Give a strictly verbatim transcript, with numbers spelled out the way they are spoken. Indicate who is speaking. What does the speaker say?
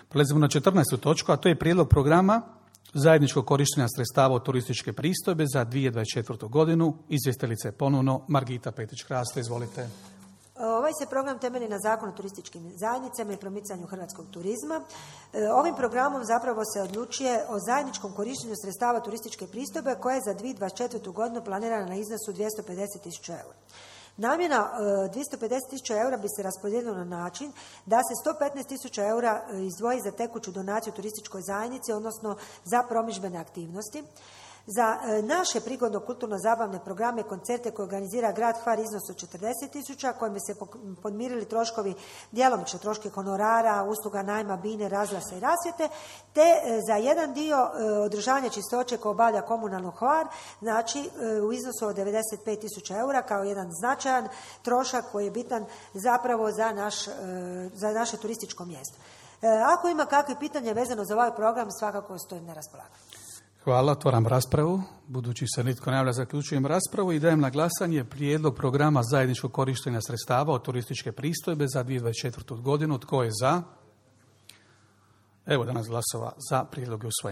Speaker 1: Prelazimo na četrnaestu točku, a to je prijedlog programa zajedničkog korištenja sredstava od turističke pristojbe za dvije tisuće dvadeset četvrtu godinu. Izvjestiteljica je ponovno Margita Petrić-Krasto. Izvolite.
Speaker 2: Ovaj se program temelji na Zakonu o turističkim zajednicama i promicanju hrvatskog turizma. Ovim programom zapravo se odlučuje o zajedničkom korištenju sredstava turističke pristojbe koja je za dvije tisuće dvadeset četvrtu godinu planirana na iznosu dvjesto pedeset tisuća eura. Namjena dvjesto pedeset tisuća eura bi se raspodijelila na način da se sto petnaest tisuća eura izdvoji za tekuću donaciju turističkoj zajednici, odnosno za promidžbene aktivnosti. Za naše prigodno kulturno-zabavne programe, koncerte koje organizira grad Hvar iznos od četrdeset tisuća, kojim bi se podmirili troškovi, djelomično troške honorara, usluga najma, bine, razglasa i rasvjete, te za jedan dio održavanja čistoće koje obavlja komunalno Hvar, znači u iznosu od devedeset pet tisuća eura kao jedan značajan trošak koji je bitan zapravo za, naš, za naše turističko mjesto. Ako ima kakve pitanje vezano za ovaj program, svakako stojim na raspolaganju.
Speaker 1: Hvala, otvaram raspravu. Budući se nitko ne javlja, zaključujem raspravu i dajem na glasanje prijedlog programa zajedničkog korištenja sredstava od turističke pristojbe za dvije tisuće dvadeset četvrtu godinu. Tko je za? Evo danas glasova za, prijedlog je usvojen.